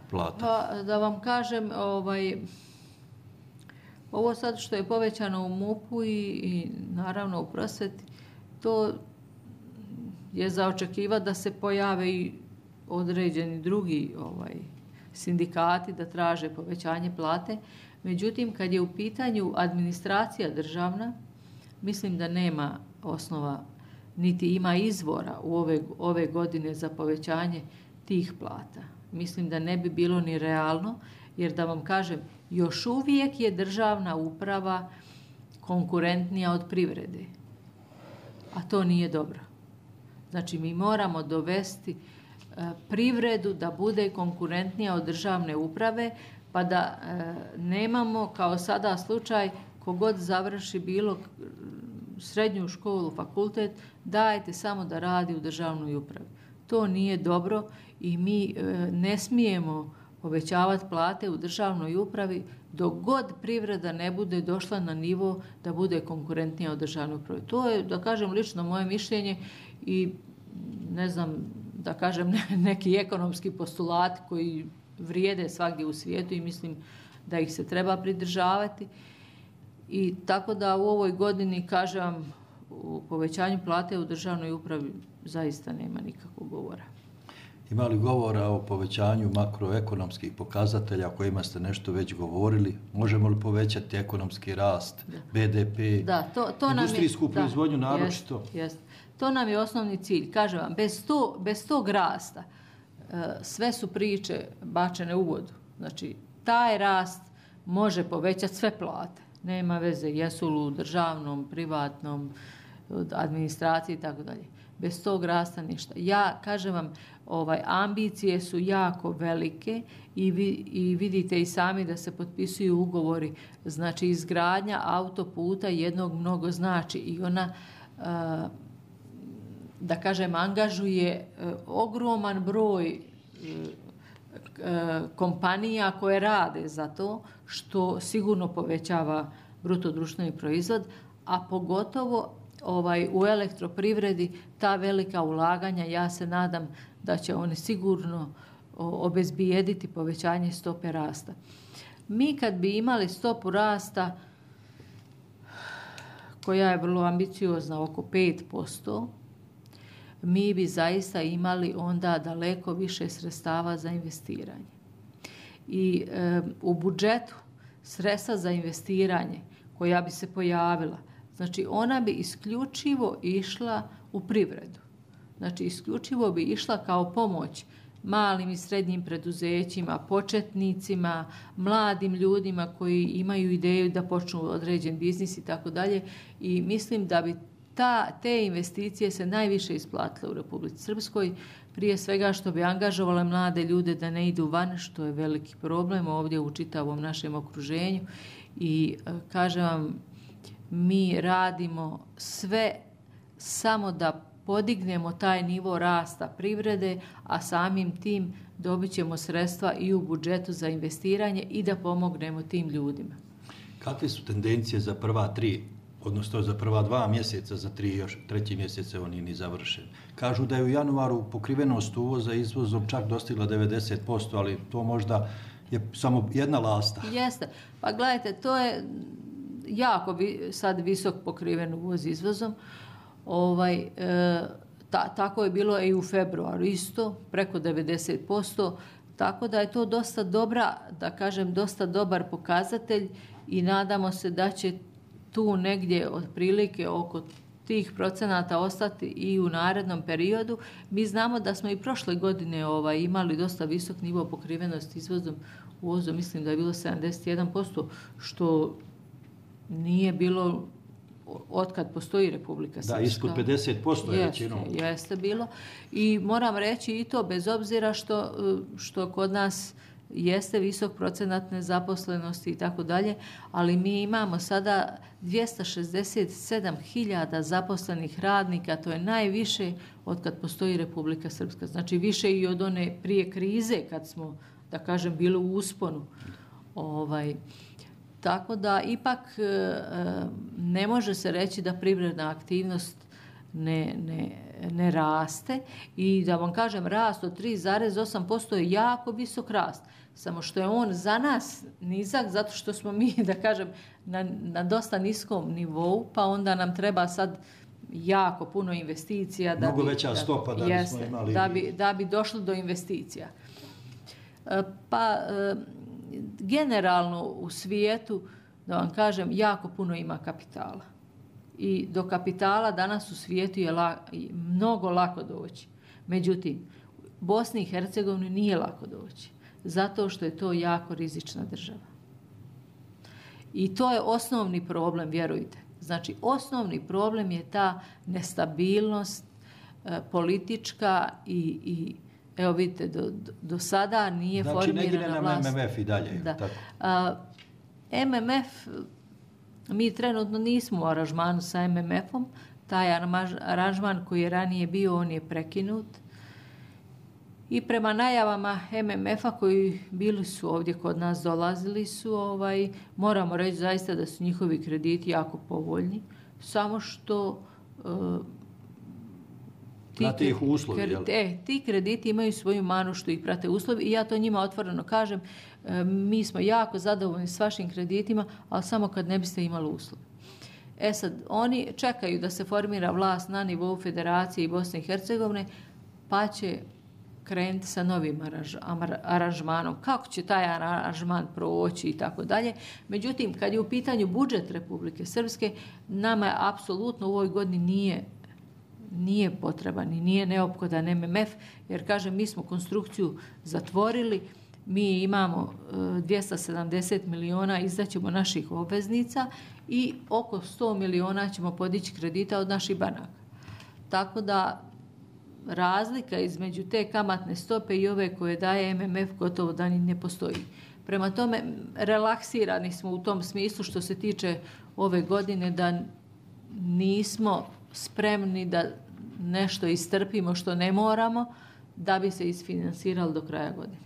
plata? Pa, da vam kažem, ovo sad što je povećano u MUP-u i naravno u prosveti, to je za očekivati da se pojave i određeni drugi sindikati da traže povećanje plate. Međutim, kad je u pitanju administracija državna, mislim da nema osnova, niti ima izvora u ove godine za povećanje tih plata. Mislim da ne bi bilo ni realno, jer da vam kažem, još uvijek je državna uprava konkurentnija od privrede. A to nije dobro. Znači, mi moramo dovesti privredu da bude konkurentnija od državne uprave, pa da nemamo kao sada slučaj kogod završi bilo srednju školu, fakultet, dajete samo da radi u državnoj upravi. To nije dobro i mi ne smijemo povećavati plate u državnoj upravi dok god privreda ne bude došla na nivo da bude konkurentnija od državne uprave. To je, da kažem, lično moje mišljenje i ne znam, da kažem, neki ekonomski postulati koji vrijede svagdje u svijetu i mislim da ih se treba pridržavati. I tako da u ovoj godini, kažem vam, u povećanju plate u državnoj upravi zaista nema nikakvog govora. Ima li govora o povećanju makroekonomskih pokazatelja o kojima ste nešto već govorili? Možemo li povećati ekonomski rast, BDP, industrijsku proizvodnju naročito? Jest. To nam je osnovni cilj. Kažem vam, bez tog rasta sve su priče bačene u vodu. Znači, taj rast može povećati sve plate. Nema veze, jesu li u državnom, privatnom, administraciji i tako dalje. Bez tog rasta ništa. Ja, kažem vam, ambicije su jako velike i vidite i sami da se potpisuju ugovori. Znači, izgradnja autoputa jednog mnogo znači i ona, da kažem, angažuje ogroman broj kompanija koje rade za to, što sigurno povećava bruto društveni proizvod, a pogotovo u elektroprivredi ta velika ulaganja, ja se nadam da će oni sigurno obezbijediti povećanje stope rasta. Mi kad bi imali stopu rasta koja je vrlo ambiciozna, oko 5%, mi bi zaista imali onda daleko više sredstava za investiranje. I u budžetu sredstva za investiranje koja bi se pojavila, znači ona bi isključivo išla u privredu. Znači isključivo bi išla kao pomoć malim i srednjim preduzećima, početnicima, mladim ljudima koji imaju ideju da počnu određen biznis i tako dalje. I mislim da bi te investicije se najviše isplatile u Republici Srpskoj, prije svega što bi angažovale mlade ljude da ne idu van, što je veliki problem ovdje u čitavom našem okruženju. I kažem vam, mi radimo sve samo da podignemo taj nivo rasta privrede, a samim tim dobit ćemo sredstva i u budžetu za investiranje i da pomognemo tim ljudima. Kakve su tendencije za prva 3 odnosno za prva 2 mjeseca, za 3. mjesece on nije ni završen. Kažu da je u januaru pokrivenost uvoza izvozom čak dostigla 90%, ali to možda je samo jedna lasta. Jeste. Pa gledajte, to je jako sad visok pokriven uvoz izvozom. Tako je bilo i u februaru isto, preko 90%. Tako da je to dosta dobra, da kažem, dosta dobar pokazatelj i nadamo se da će tu negdje otprilike oko tih procenata ostati i u narednom periodu. Mi znamo da smo i prošle godine imali dosta visok nivo pokrivenosti izvozom. Uvozom mislim da je bilo 71%, što nije bilo otkad postoji Republika Srpska. Da, ispod 50% je većinom. Jeste bilo. I moram reći i to bez obzira što kod nas jeste visok procenat nezaposlenosti i tako dalje, ali mi imamo sada 267.000 zaposlenih radnika, to je najviše od kad postoji Republika Srpska. Znači više i od one prije krize kad smo, da kažem, bili u usponu. Tako da ipak ne može se reći da privredna aktivnost ne raste i da vam kažem rast od 3,8% je jako visok rast. Samo što je on za nas nizak zato što smo mi, da kažem, na dosta niskom nivou, pa onda nam treba sad jako puno investicija. Mnogo veća stopa da bismo imali. Da bi došlo do investicija. Pa generalno u svijetu, da vam kažem, jako puno ima kapitala. I do kapitala danas u svijetu je mnogo lako doći. Međutim, Bosni i Hercegovini nije lako doći. Zato što je to jako rizična država. I to je osnovni problem, vjerujte. Znači, osnovni problem je ta nestabilnost politička i evo vidite, do sada nije formirana vlast. Znači, ne gine nam MMF i dalje. Da. MMF, mi trenutno nismo u aranžmanu sa MMF-om. Taj aranžman koji je ranije bio, on je prekinut. I prema najavama MMF-a koji bili su ovdje kod nas, dolazili su, moramo reći zaista da su njihovi krediti jako povoljni. Samo što prate ih uslovi, ti krediti imaju svoju manu što ih prate uslovi i ja to njima otvoreno kažem. Mi smo jako zadovoljni s vašim kreditima, ali samo kad ne biste imali uslove. Sad, oni čekaju da se formira vlast na nivou Federacije i Bosne i Hercegovine, pa će krenuti sa novim aranžmanom. Kako će taj aranžman proći i tako dalje. Međutim, kad je u pitanju budžet Republike Srpske, nama je apsolutno u ovoj godini nije potreban i nije neophodan MMF, jer kažem, mi smo konstrukciju zatvorili, mi imamo 270 miliona, izdaćemo naših obveznica i oko 100 miliona ćemo podići kredita od naših banaka. Tako da razlika između te kamatne stope i ove koje daje MMF gotovo da ni ne postoji. Prema tome, relaksirani smo u tom smislu što se tiče ove godine da nismo spremni da nešto istrpimo što ne moramo da bi se isfinansirali do kraja godine.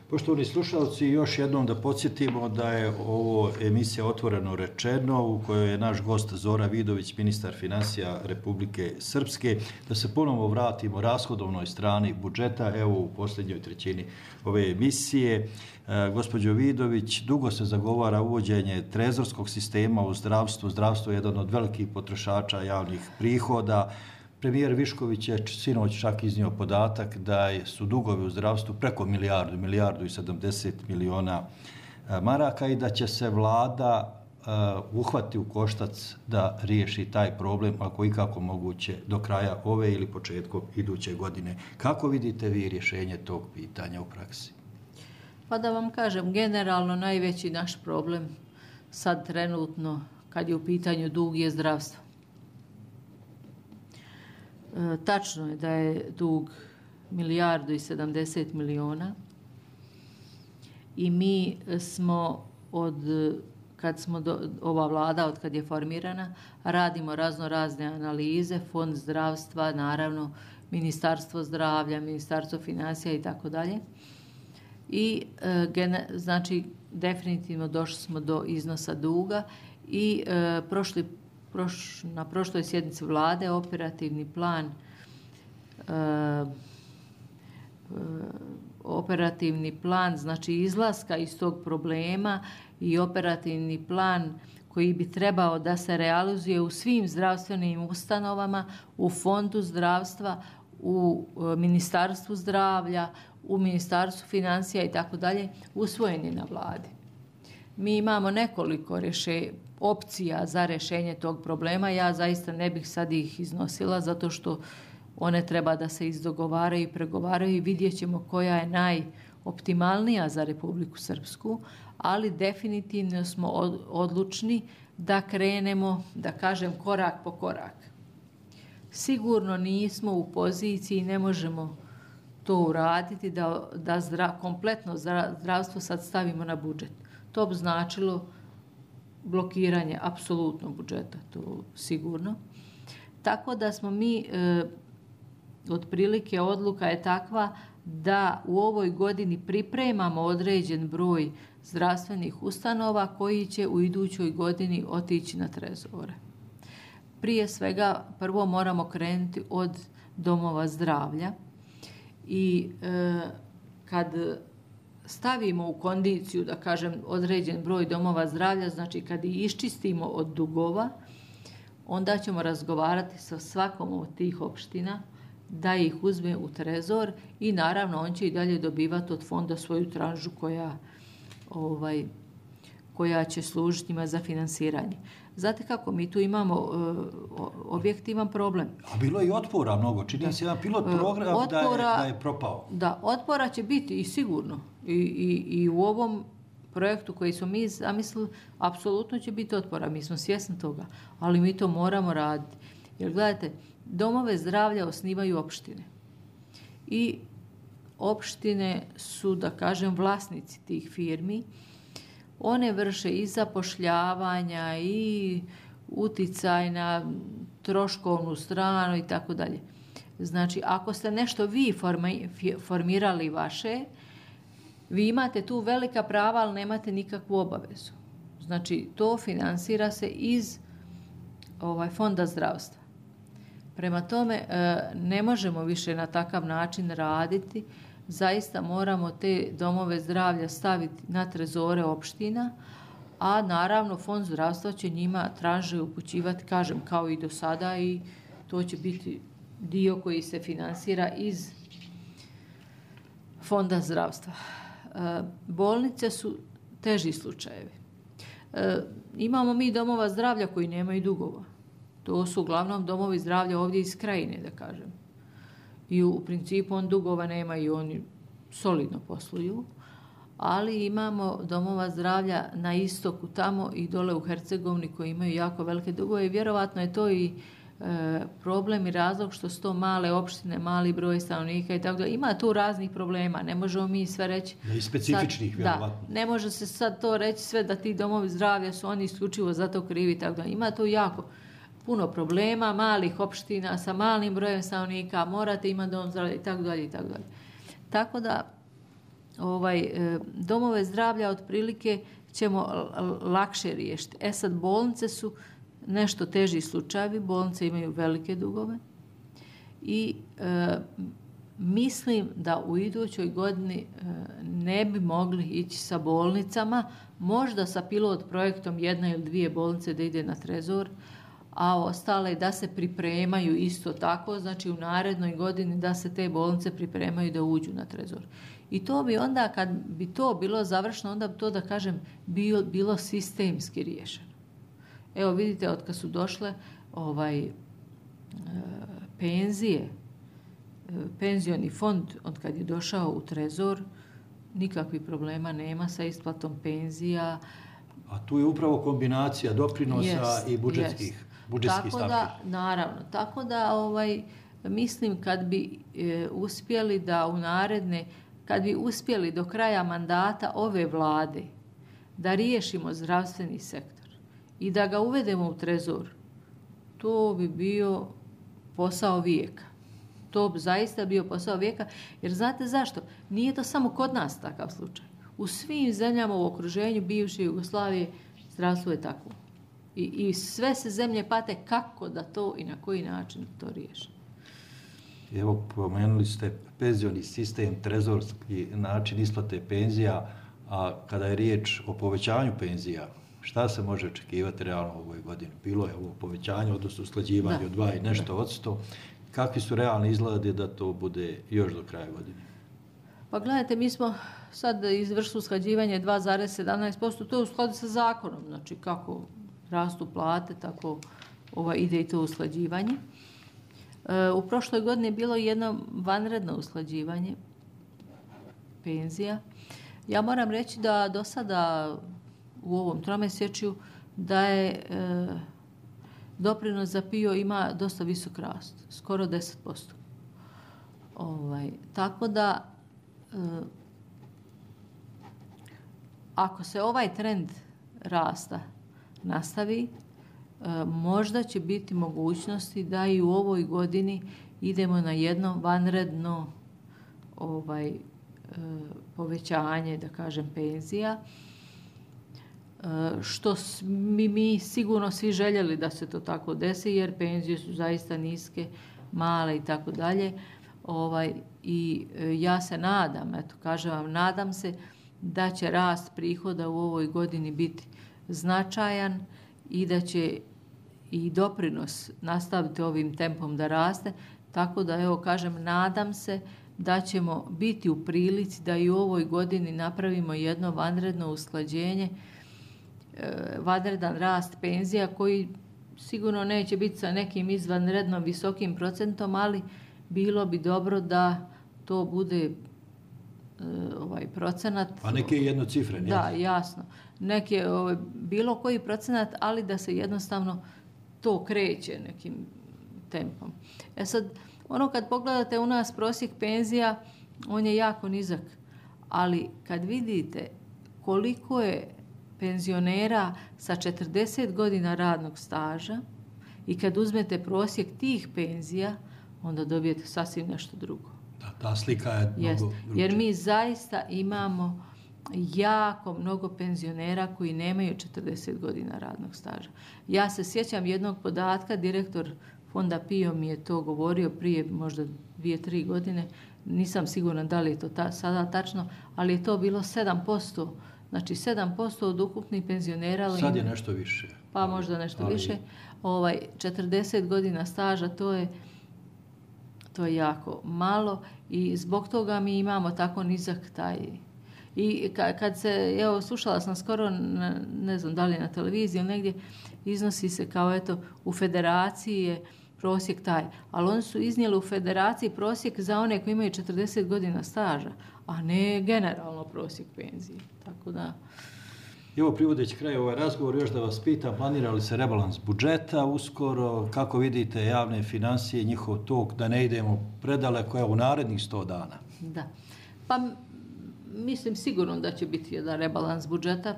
Poštovani slušalci, još jednom da podsjetimo da je ovo emisija Otvoreno rečeno u kojoj je naš gost Zora Vidović, ministar financija Republike Srpske. Da se ponovo vratimo rashodovnoj strani budžeta, evo u posljednjoj trećini ove emisije. Gospođo Vidović, dugo se zagovara uvođenje trezorskog sistema u zdravstvu. Zdravstvo je jedan od velikih potrošača javnih prihoda. Premijer Višković je sinoć čak iznio podatak da su dugovi u zdravstvu preko milijardu i 70 miliona maraka i da će se vlada uhvati u koštac da riješi taj problem, ako ikako moguće, do kraja ove ili početkom iduće godine. Kako vidite vi rješenje tog pitanja u praksi? Pa da vam kažem, generalno najveći naš problem sad trenutno, kad je u pitanju dug, je zdravstvo. Tačno je da je dug milijardu i 70 miliona i mi smo ova vlada, od kad je formirana, radimo razne analize, fond zdravstva, naravno Ministarstvo zdravlja, Ministarstvo financija i tako dalje. I znači definitivno došli smo do iznosa duga i na prošloj sjednici vlade operativni plan znači izlaska iz tog problema i operativni plan koji bi trebao da se realizuje u svim zdravstvenim ustanovama, u Fondu zdravstva, u Ministarstvu zdravlja, u Ministarstvu financija i tako dalje, usvojen je na vladi. Mi imamo nekoliko opcija za rješenje tog problema. Ja zaista ne bih sad ih iznosila zato što one treba da se izdogovaraju i pregovaraju i vidjet ćemo koja je najoptimalnija za Republiku Srpsku, ali definitivno smo odlučni da krenemo, da kažem, korak po korak. Sigurno nismo u poziciji, ne možemo to uraditi, da kompletno zdravstvo sad stavimo na budžet. To bi značilo blokiranje apsolutno budžeta, to sigurno. Tako da smo mi, otprilike odluka je takva da u ovoj godini pripremamo određen broj zdravstvenih ustanova koji će u idućoj godini otići na trezore. Prije svega, prvo moramo krenuti od domova zdravlja i kad stavimo u kondiciju, da kažem, određen broj domova zdravlja, znači kad ih iščistimo od dugova, onda ćemo razgovarati sa svakom od tih opština da ih uzme u trezor i naravno on će i dalje dobivati od fonda svoju tranžu koja će služiti njima za finansiranje. Znate kako, mi tu imamo objektivan problem. A bilo je i otpora mnogo. Čini se jedan pilot program da je propao. Da, otpora će biti i sigurno. I u ovom projektu koji smo mi zamislili, apsolutno će biti otpora. Mi smo svjesni toga. Ali mi to moramo raditi. Jer gledajte, domove zdravlja osnivaju opštine. I opštine su, da kažem, vlasnici tih firmi. One vrše i zapošljavanja i uticaj na troškovnu stranu i tako dalje. Znači, ako ste nešto vi formirali vaše, vi imate tu velika prava, ali nemate nikakvu obavezu. Znači, to finansira se iz Fonda zdravstva. Prema tome, ne možemo više na takav način raditi. Zaista moramo te domove zdravlja staviti na trezore opština, a naravno Fond zdravstva će njima tranže upućivati, kažem, kao i do sada, i to će biti dio koji se finansira iz Fonda zdravstva. Bolnice su teži slučajevi. Imamo mi domova zdravlja koji nemaju dugova. To su uglavnom domovi zdravlja ovdje iz Krajine, da kažem. I u principu on dugova nema i oni solidno posluju, ali imamo domova zdravlja na istoku tamo i dole u Hercegovini koji imaju jako velike dugove i vjerovatno je to i problem i razlog što su to male opštine, mali broj stanovnika i tako da. Ima tu raznih problema, ne možemo mi sve reći. I specifičnih, vjerovatno. Da, ne može se sad to reći sve da ti domovi zdravlja su oni isključivo za to krivi i tako da. Ima tu jako puno problema, malih opština sa malim brojem stanovnika, morate imati dom zdravlja i tako dalje i tako dalje. Tako da domove zdravlja otprilike ćemo lakše riješiti. Sad bolnice su nešto teži slučajevi, bolnice imaju velike dugove i mislim da u idućoj godini ne bi mogli ići sa bolnicama, možda sa pilot projektom 1 ili 2 bolnice da ide na trezor, a ostale da se pripremaju isto tako, znači u narednoj godini da se te bolnice pripremaju da uđu na trezor. I to bi onda, kad bi to bilo završeno, onda bi to, da kažem, bilo sistemski riješeno. Evo vidite, od kad su došle penzije, penzioni fond, od kad je došao u trezor, nikakvih problema nema sa isplatom penzija. A tu je upravo kombinacija doprinosa i budžetskih stavki. Naravno. Tako da mislim kad bi uspjeli da kad bi uspjeli do kraja mandata ove vlade da riješimo zdravstveni sektor i da ga uvedemo u trezor, to bi bio posao vijeka. To bi zaista bio posao vijeka, jer znate zašto? Nije to samo kod nas takav slučaj. U svim zemljama u okruženju bivše Jugoslavije zdravstvo je takvo. I sve se zemlje pate kako da to i na koji način to riješi. Evo, pomenuli ste penzioni sistem, trezorski način isplate penzija, a kada je riječ o povećanju penzija, šta se može očekivati realno u ovoj godini? Bilo je ovo povećanje, odnosno usklađivanje od 2 i nešto odsto. Kakvi su realni izgledi da to bude još do kraja godine? Pa gledajte, mi smo sad izvršili usklađivanje 2,17%, to je u skladu sa zakonom, znači kako rastu plate, tako ide i to usklađivanje. U prošloj godini je bilo jedno vanredno usklađivanje penzija. Ja moram reći da do sada u ovom tromjesečju da je doprinos za PIO ima dosta visok rast, skoro 10%. Tako da ako se ovaj trend rasta nastavi, možda će biti mogućnosti da i u ovoj godini idemo na jedno vanredno povećanje, da kažem, penzija, što mi sigurno svi željeli da se to tako desi, jer penzije su zaista niske, male i tako dalje. I ja se nadam, kažem vam, nadam se da će rast prihoda u ovoj godini biti značajan i da će i doprinos nastaviti ovim tempom da raste. Tako da, evo kažem, nadam se da ćemo biti u prilici da i u ovoj godini napravimo jedno vanredno usklađenje, vanredan rast penzija koji sigurno neće biti sa nekim izvanredno visokim procentom, ali bilo bi dobro da to bude procenat. A neki jednocifren, da, jasno. Neki bilo koji procenat, ali da se jednostavno to kreće nekim tempom. Sad, kad pogledate u nas prosjek penzija, on je jako nizak, ali kad vidite koliko je penzionera sa 40 godina radnog staža i kad uzmete prosjek tih penzija, onda dobijete sasvim nešto drugo. Ta slika je mnogo drugčija. Jer mi zaista imamo jako mnogo penzionera koji nemaju 40 godina radnog staža. Ja se sjećam jednog podatka, direktor fonda PIO mi je to govorio prije možda 2-3 godine, nisam sigurna da li je to sada tačno, ali je to bilo 7%. Znači 7% od ukupnih penzionera. Sad je nešto više. Pa možda nešto više. 40 godina staža, to je jako malo i zbog toga mi imamo tako nizak taj. I kad se, evo, slušala sam skoro, ne znam da li na televiziji ili negdje, iznosi se kao eto u federaciji je prosjek taj, ali oni su iznijeli u federaciji prosjek za one koji imaju 40 godina staža, a ne generalno prosjek penzije. Tako da. Evo, privodeći kraj ovaj razgovor, još da vas pitam, planira li se rebalans budžeta uskoro, kako vidite javne financije, njihov tok, da ne idemo predaleko u narednih 100 dana? Da, pa mislim sigurno da će biti jedan rebalans budžeta.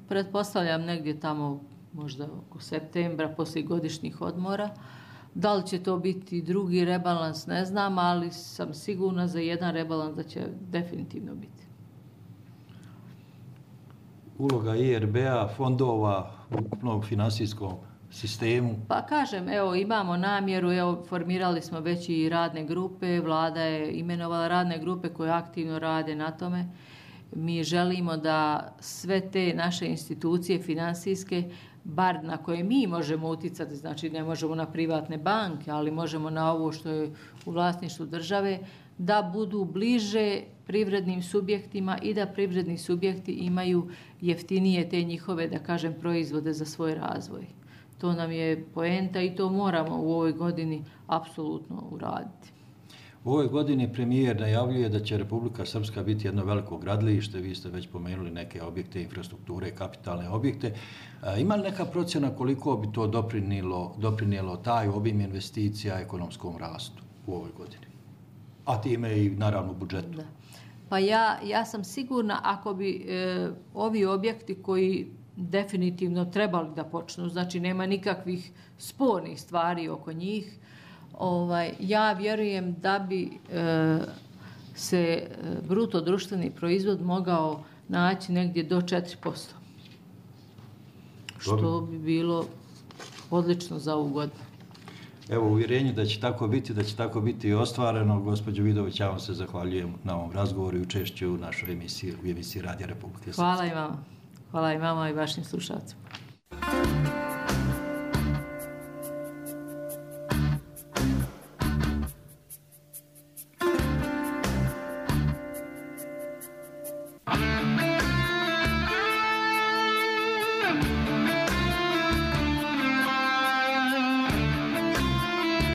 Pretpostavljam negdje tamo možda oko septembra, poslije godišnjih odmora. Da li će to biti drugi rebalans, ne znam, ali sam sigurna za jedan rebalans da će definitivno biti. Uloga IRB-a, fondova u ukupnom finansijskom sistemu? Pa kažem, evo, imamo namjeru, evo, formirali smo već i radne grupe, vlada je imenovala radne grupe koje aktivno rade na tome. Mi želimo da sve te naše institucije finansijske, bar na koje mi možemo utjecati, znači ne možemo na privatne banke, ali možemo na ovo što je u vlasništvu države, da budu bliže privrednim subjektima i da privredni subjekti imaju jeftinije te njihove, da kažem, proizvode za svoj razvoj. To nam je poenta i to moramo u ovoj godini apsolutno uraditi. U ovoj godini premijer najavljuje da će Republika Srpska biti jedno veliko gradilište, vi ste već pomenuli neke objekte, infrastrukture, kapitalne objekte. Ima li neka procjena koliko bi to doprinijelo taj obim investicija ekonomskom rastu u ovoj godini? A time i naravno budžetu. Da. Pa ja sam sigurna ako bi ovi objekti koji definitivno trebali da počnu, znači nema nikakvih spornih stvari oko njih, ja vjerujem da bi se bruto društveni proizvod mogao naći negdje do 4%. što bi bilo odlično za ovu godinu. Evo, u uvjerenju da će tako biti i ostvareno. Gospođo Vidović, ja vam se zahvaljujem na ovom razgovoru i učešću u našoj emisiji, u emisiji Radija Republike Srpske. Hvala i vama. Hvala i vama i vašim slušalcima.